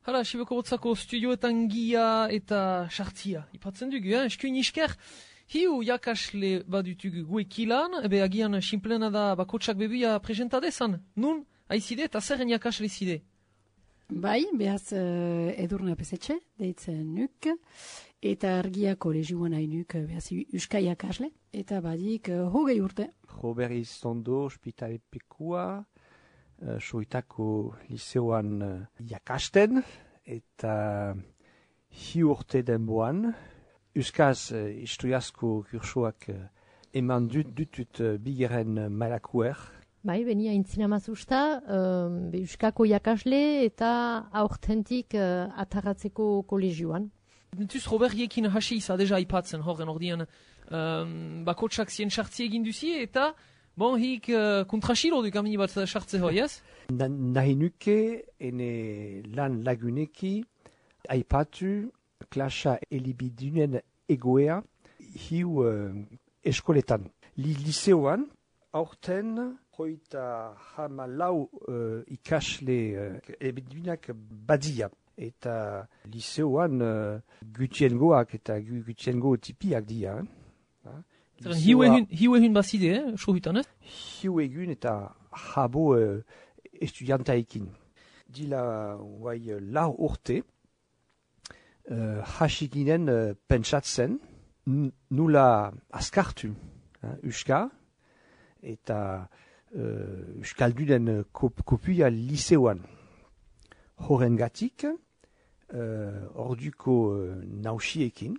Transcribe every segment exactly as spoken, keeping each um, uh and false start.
Hala, Sibeko Botzako studioetan gia eta sartzia. Ipatzen dugu, eh? Eskuin isker, hiu jakasle badutugu guekilan, ebe agian simplena da bakotsak bebuia presentadezan. Nun, haizide eta zerren jakasle zide? Bai, behaz uh, Edurne Apesetxe, deitzen nuk, eta argia kolegioan hainuk, behaz Euska jakasle, eta badik uh, hogei urte. Robert Zondo, Hospitale Pekua, Uh, soitako liceoan uh, jakasten, eta hi urte denboan. Euskaz uh, historiazko kursoak uh, eman dut dutut uh, bigeren uh, malakuer. Bai, benia intzina mazusta, um, Euskako jakasle eta aurtentik uh, ataratzeko kolegioan. Dentuz Robert Jekin hasi iza deja ipatzen horren ordian um, bakotsak zien sartzi egin duzi eta bon, hik uh, kontrasilo duk amini bat sartze hoi, ez? Na, nahi nuke ene lan laguneki aipatu klasa elibidunen egoea hiu uh, eskoletan. Li liceoan aurten hoita hamalau uh, ikasle uh, elibidunak badia. Eta liceoan uh, gutiengoak eta gutiengo tipiak dia. Eh? Hiu egun, hiu egun bazide, eh? Sohutan, ez? Hiu egun eta jabo uh, estudiantaikin. Dila guai uh, lau urte, uh, hasiginen uh, pentsatzen, nula askartu, uh, Euska, eta uh, Euskaldunen kop, kopia liceoan. Horrengatik, uh, orduko uh, nausiekin,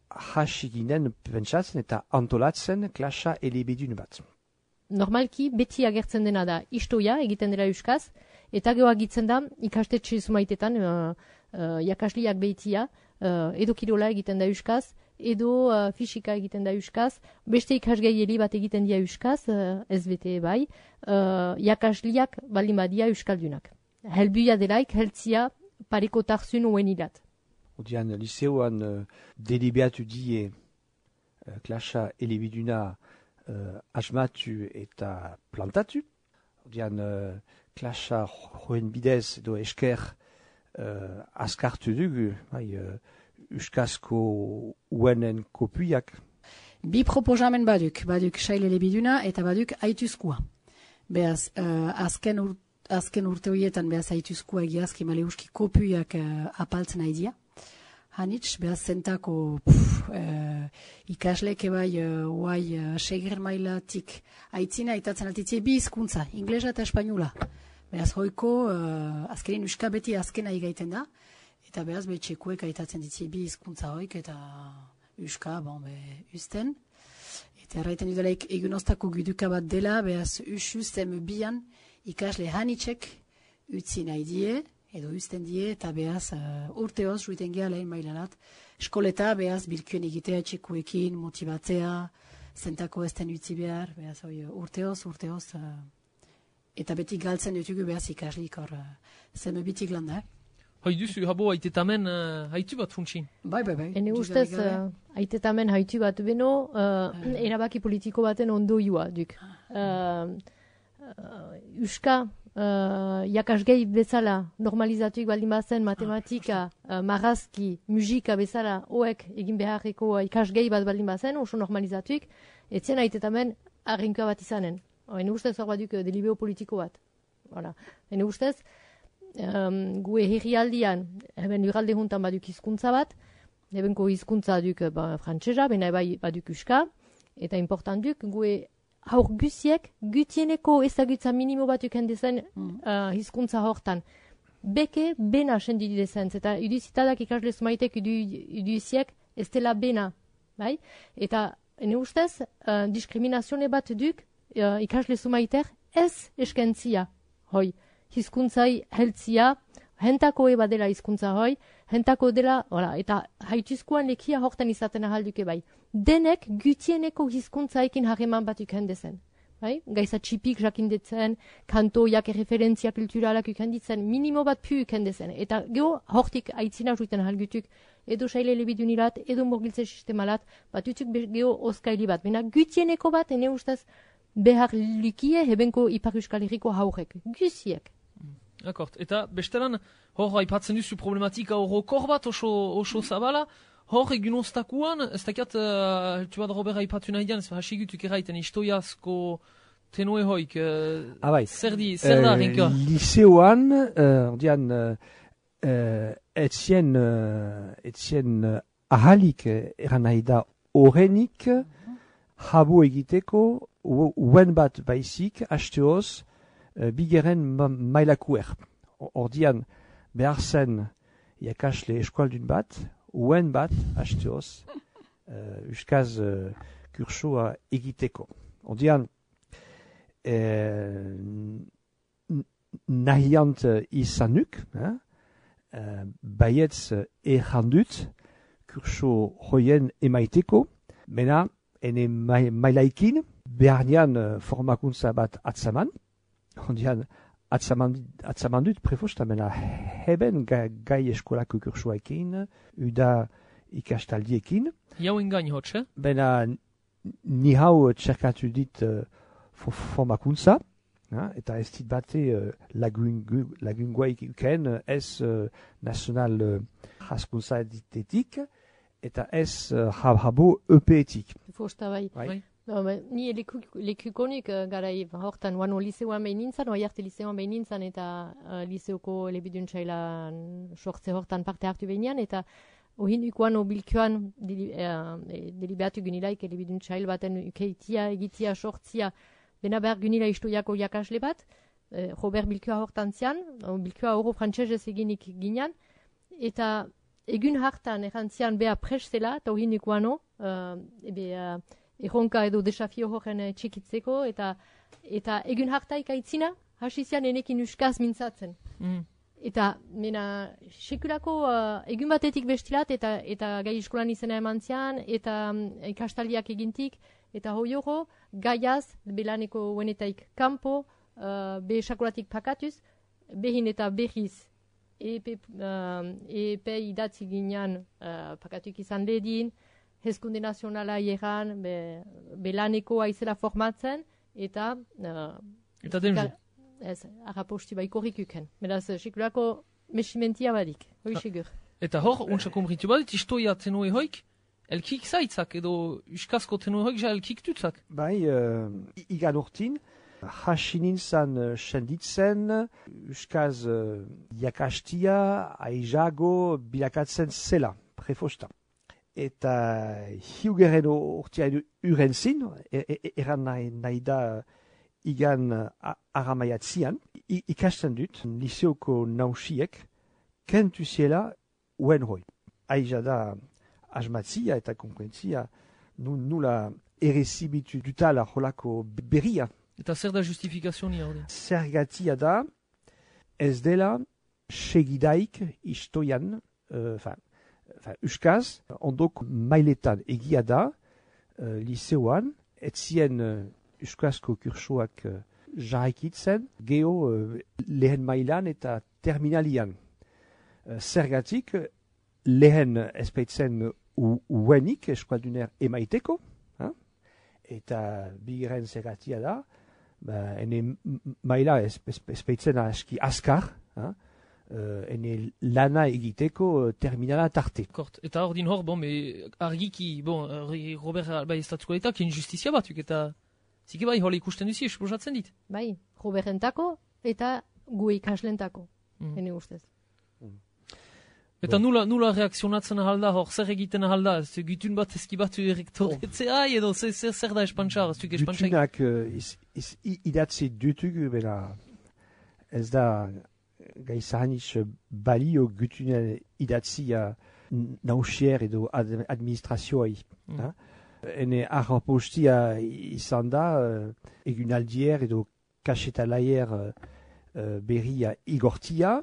hasiginen pentsatzen eta antolatzen klasa elebidun bat. Normalki beti agertzen dena da istoia egiten dela Euskaz, eta gero agitzen da ikastetxe zumaitetan uh, uh, jakasliak behitia, uh, edo kirola egiten da Euskaz, edo uh, fisika egiten da Euskaz, beste ikasgaieli bat egiten dia Euskaz, uh, ez bete bai, uh, jakasliak baldin badia Euskaldunak. Helbuia delaik, heltzia pareko tarzun uen ilat. Odian, liceoan uh, delibeatu die uh, klasa elebiduna uh, asmatu eta plantatu. Odian, uh, klasa joen bidez edo esker uh, askartu dugu, bai, uh, Euskazko uenen kopuiak. Bi proposamen baduk, baduk sail elebiduna eta baduk aituzkoa. Beaz, uh, azken urte Azken urte horietan behaz haituzkoa egiazki maleuski kopuiak uh, apaltzen haidia. Hanitz, behaz zentako uh, ikasleke bai uh, uai uh, seger mailatik haitzina aitatzen altitzie bi hizkuntza, inglesa eta espainola. Behaz hoiko, uh, azkenin Euska beti azkena igaiten da, eta behaz betxekuek aitatzen ditzie bi hizkuntza hoik eta Euska, bon, be, usten. Eta erraiten dudalaik egunoztako guduka bat dela, behaz usuz eme bian, ikasle hanitzek utzi nahi die, edo uzten die, eta behaz uh, urteoz juiten geha lehen mailanat. Eskoleta behaz bilkuen egitea txekuekin, motibatzea, zentako ezten utzi behar, behaz oi, urteoz, urteoz, uh, eta beti galtzen dutugu behaz ikaslik hor, uh, zeme bitik landa. Hai duzu, habo haitetamen uh, haitu bat funtsin. Bai, bai, bai. Ene ustez, uh, haitetamen haitu bat beno, uh, uh, erabaki politiko baten ondoioa duk. Uh, Uh, Euska uh, jakasgei bezala normalizatuik baldin bazen matematika, uh, marazki, musika bezala hoek egin beharreko uh, ikasgei bat baldin bazen, oso normalizatuik, etzien haitetamen arrinkoa bat izanen. Hene ustez hor baduk uh, delibeo politiko bat. Voilà. Hene ustez, um, gue herrialdian, heben uralde juntan baduk hizkuntza bat, hebenko hizkuntza duk uh, ba, frantsesa, bena bai baduk Euska, eta important duk, gue haur guziek, gutieneko ezagutza minimo bat ukendezen mm. uh, hizkuntza hortan. Beke, bena sendi dezen, eta iduzitadak ikasle zumaitek iduziek ez dela bena. Bai? Eta, ene ustez, uh, diskriminazione bat duk uh, ikasle zumaiter ez eskentzia. Hoi, hizkuntzai heltzia, hentako eba dela hizkuntza hoi, hentako dela, hola, eta haituzkoan lekia hortan izaten ahalduke bai. Denek gutieneko hizkuntzaikin harreman bat ukendezen. Bai? Gaiza txipik jakindetzen, kantoiak referentzia kulturalak ukenditzen, minimo bat pu ukendezen. Eta geho hortik aitzina juiten ahalgutuk, edo saile elebidunilat, edo morgiltze sistemalat, bat utzuk geho oskaili bat. Bena gutieneko bat, ene ustez, behar likie hebenko Ipar Euskal Herriko haurek. Guziek. Akort, eta bestelan, hor aipatzen duzu problematika horrokor bat oso, oso zabala, hor egun oztakuan, ez dakiat, uh, tu bat Robert aipatu nahi dian, ez hasigutuk eraiten historiazko tenue hoik, uh, ah, bai. zer, di, zer da, rinka? Liseoan, uh, ordean, uh, uh, etzien, uh, etzien uh, ahalik uh, eran nahi da horrenik, jabo egiteko, uen bat baizik, hasteoz, uh, bigeren ma mailakuer. Ordean, behar zen iakasle eskualdun bat, uen bat, hasteoz, uh, euskaz uh, kursoa egiteko. Ordean, uh, nahiant izanuk, eh? uh, baietz errandut, kurso hoien emaiteko, mena, ene mailaikin, beharnian uh, formakuntza bat atzaman, ondian atzaman, atzaman dut prefosta, mena heben ga, gai eskolako kursoaekin, uda ikastaldiekin. Jauen gain hotz, eh? Bena ni hau txerkatu dit uh, formakuntza, ha? Eta ez dit bate uh, lagunguaik uken, ez uh, nazional uh, jaskuntza ditetik, eta ez uh, habo epeetik. Fosta bai. Bai. No, ba, ni lekukonik uh, garai hortan, wano liseoan behin nintzen, oai arte liseoan behin nintzen, eta uh, liseoko elebiduntxailan sortze hortan parte hartu behinean, eta ohin ukoan obilkoan deli, uh, deliberatu gynilaik elebiduntxail baten ukeitia, egitia, sortzia, bena behar gynila istoiako jakasle bat, uh, Robert Bilkoa hortan zian, Bilkoa oro frantsesez eginik ginean, eta egun hartan errantzian beha presela, eta ohin ukoano, uh, ebe... Uh, erronka edo desafio horren txikitzeko, eta eta egun hartaik aitzina, hasi zian enekin euskaz mintzatzen. Mm. Eta, mena, sekulako uh, egun batetik bestilat, eta eta gai eskolan izena eman zian, eta um, ikastaldiak egintik, eta hoioro, gaiaz, belaneko uenetaik kanpo, uh, be sakuratik pakatuz, behin eta behiz, epe, uh, epe idatzi ginean uh, pakatuk izan ledin, hezkunde nazionala hieran, be, belaneko aizela formatzen, eta... Uh, eta demze. Ez, arraposti baiko rikuken. Beraz, sekulako mesimentia badik, hoi segur. Eta hor, untsa kompritu badit, istoia tenue hoik, elkik zaitzak, edo uskazko tenue hoik ja elkik tutzak. Bai, uh, igan urtin, hasi nintzen uh, senditzen, uskaz uh, jakastia, aizago, bilakatzen zela, prefosta. Eta hiugeren urtean uren zin, eran nahi, nahi da igan aramaiatzian, ikasten dut, liseoko nausiek, kentu ziela uen hoi. Aiza da asmatzia eta konkurentzia, nula errezibitu dutala holako berria. Eta zer da justifikazioni hori? Zergatia da, ez dela segidaik istoian, uh, fin, Enfin, euskaz, ondok mailetan egia da, uh, liseoan, etzien uh, euskazko kursoak uh, jarraikitzen, geho uh, lehen mailan eta terminalian. Uh, zergatik, lehen espeitzen uenik eskualduner emaiteko, hein? Eta bigeren zergatia da, ba, ene maila espeitzen aski askar, hein? Uh, ene lana egiteko uh, terminala tarte. Kort, eta hor din hor, bon, me, argiki, bon, Robert Alba estatuko eta, kien justizia batuk, eta zike bai, hola ikusten duzi, esposatzen dit. Bai, Robertentako eta gu ikaslentako, mm. ene ustez. Mm. Eta bon. nula, nula reakzionatzen ahalda, hor, zer egiten ahalda, ez gutun bat ezkibatu errektoretzea, oh. edo zer, zer, zer da espantxar, ez duk espantxar. Gutunak uh, idatzi dutugu, bera, ez da... gai zahanitz balio gutunen idatzia nausier edo ad administrazioai. Mm. Ene arrapostia izan da uh, egunaldier edo kasetalaier uh, uh, berria igortia,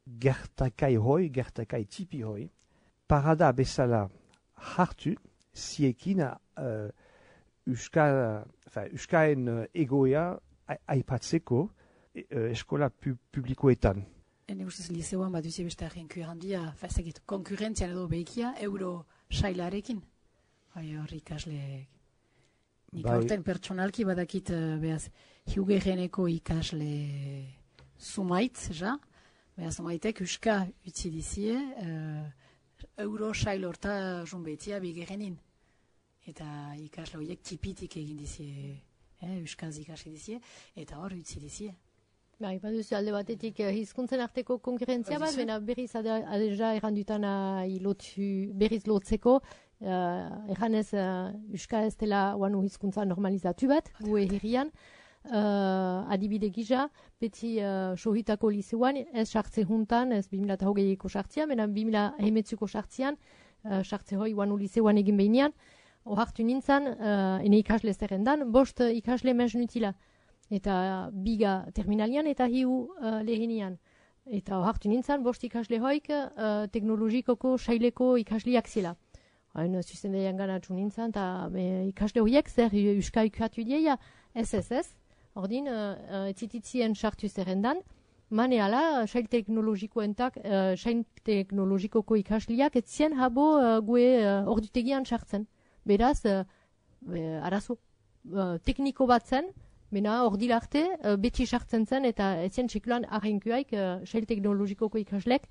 gertakai hoi, gertakai tipi hoi, parada bezala hartu, ziekin uh, uska, enfin, uskaen uh, egoea aipatzeko, eskola pu publikoetan. Ene ustez liseoan bat duzi beste arrenku handia, fazakit, konkurrentzian edo behikia, euro sailarekin. Bai, hori ikasleek. Nik aurten pertsonalki badakit, behaz, hiugereneko ikasle Zumaitz, ja. Baina Zumaitek Euska utzi dizie, uh, euro sail horta junbetia bigerenin. Eta ikasle horiek tipitik egin dizie, eh, Euskaz ikasi dizie, eta hor utzi dizie. Bai, baduzu alde batetik uh, hizkuntzen arteko konkurrentzia bat, baina berriz adeja errandutana berriz lotzeko, uh, erranez uh, Euska ez dela oanu hizkuntza normalizatu bat, gue herrian, uh, adibide gisa, beti uh, sohitako liseuan, ez sartze juntan, ez bi mila hogeiko sartzian, baina bi mila hemetzuko sartzian, uh, sartze hoi oanu liseuan egin behinean, ohartu nintzen, uh, ene ikasle zerrendan, bost uh, ikasle mez nutila. Eta biga terminalian eta hiu uh, lehenian. Eta ohartu nintzen, bost ikasle hoik uh, teknologikoko saileko ikasliak zela. Hain zuzendaian ganatzu nintzen, eta ikasle horiek zer Euska ikatu dieia, ez ez ez. Ordin, uh, etzititzien sartu zerrendan, mane ala, sail teknologikoentak, uh, sail teknologikoko ikasliak etzien habo uh, gue uh, ordutegian sartzen. Beraz, uh, arazo uh, tekniko bat zen, Bena, hor dilarte, uh, beti sartzen zen, eta etzien txikulan arrenkuaik, uh, sail teknologikoko ikaslek,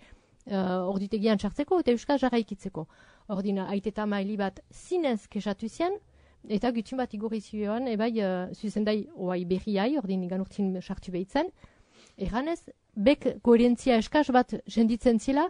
uh, ordutegian sartzeko, eta euskal jarraikitzeko. Ordina, aiteta maili bat zinez kesatu zien, eta gutxun bat igorri zioan, ebai, uh, zuzendai, oai berriai, ordin igan urtin sartu behitzen. Erranez, bek koherentzia eskaz bat jenditzen zela,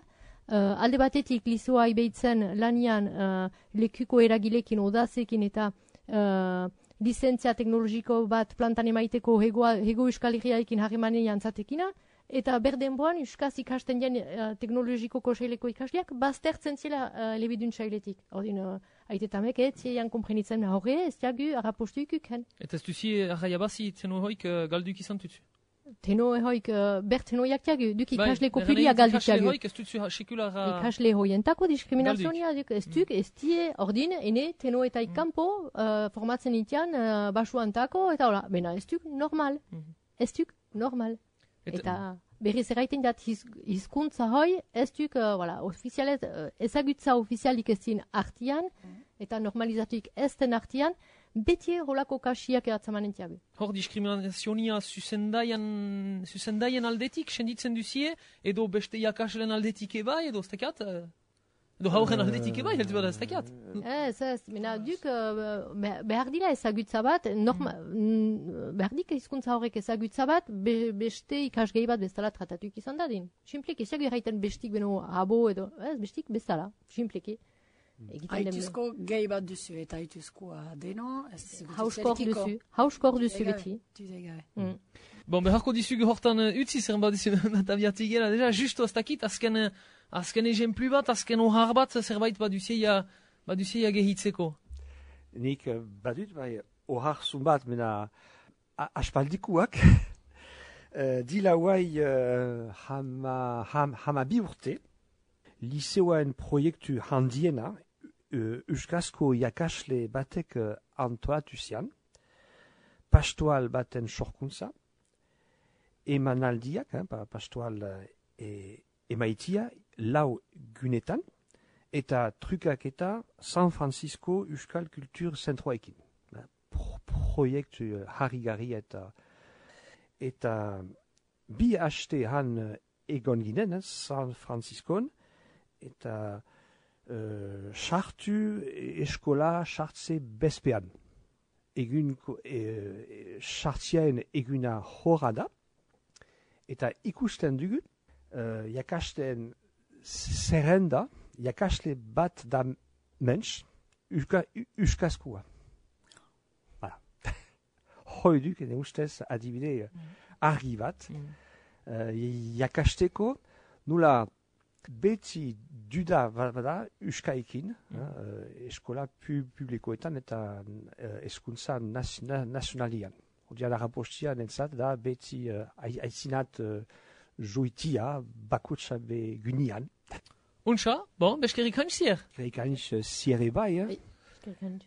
uh, alde batetik lisoa behitzen lanian uh, lekuko eragilekin, odazekin, eta uh, lizentzia teknologiko bat plantan emaiteko hego, hego euskal herriaikin harremanean zatekina, eta berdenboan euskaz ikasten jen uh, teknologikoko saileko ikasliak, baztertzen zela uh, lebidun sailetik. Ordin, uh, aitetamek, ez zian komprenitzen horre, ez diagu, arrapostu ikuken. Eta ez duzi arraiabazi teno hoik uh, galduk izan tutsu? Teno hoik, uh, ber teno jaktiagu, duk bai, ikasleko pilia galduk ikasle hoik ez dutzu sekulara... Ikasle hoientako diskriminazioa, ez duk, ez die, ordin, ene, teno eta ikampo, uh, formatzen itian, uh, basuantako, eta hola, bena, ez duk normal, ez duk normal. Eta, eta berriz erraiten dat hiz, hizkuntza hoi, ez duk, uh, voilà, ofizialet, uh, ezagutza ofizialik ez din artian, eta normalizatuik ez den artian, beti rolako kasiak eratzamanen tiago. Hor diskriminazionia zuzendaian, zuzendaian aldetik, senditzen duzie, edo beste jakaslen aldetik eba, edo ez tekat? Edo hauren aldetik eba, heltu bada ez tekat? Ez, ez, mena duk, uh, behar dila ezagutza bat, norma, mm. behar dik hizkuntza horrek ezagutza bat, be, beste ikasgei bat bestala tratatuik izan dadin. Simplik, eziago erraiten bestik beno abo, edo, ez, bestik bestala, simpliki. Haituzko gehi bat duzu eta haituzkoa deno. Hauskor duzu, hauskor duzu beti. Mm. Bon, beharko dizugu hortan uh, utzi zer bat dizu natabiatik gela. Deja, justo ez dakit, azken, azken ejemplu bat, azken ohar bat, zerbait bat duzeia, bat duzeia gehitzeko. Nik uh, badut, bai, ohar zun bat, mena aspaldikuak. uh, dila huai uh, hama, ham, hama bi urte, liseoen proiektu handiena, Uh, Euskazko jakasle batek uh, antoatu zian, pastoal baten sorkuntza, emanaldiak, eh, pastoal uh, e, emaitia, lau gunetan, eta trukak eta San Francisco Euskal Kultur Zentroekin. Pro proiektu uh, harrigarri eta eta bi haste han uh, egon ginen, eh, San Franciscon, eta sartu uh, eskola sartze bezpean. Egun sartziaen e, eguna horra da, eta ikusten dugu, uh, jakasten zerrenda, jakasle bat da mensch, euskazkoa. Voilà. Hoi duk, ene ustez adibide mm. argi bat, mm. uh, jakasteko, nula beti duda bada euskaikin, mm. uh, eskola pu, publikoetan eta uh, eskuntza nazionalian. Odiala rapostia nentzat da beti uh, aizinat uh, joitia bakotsa be gunian. Untxa, bon, beskerik hanz zier? Beskerik hanz zier ebai, eh? Beskerik hanz.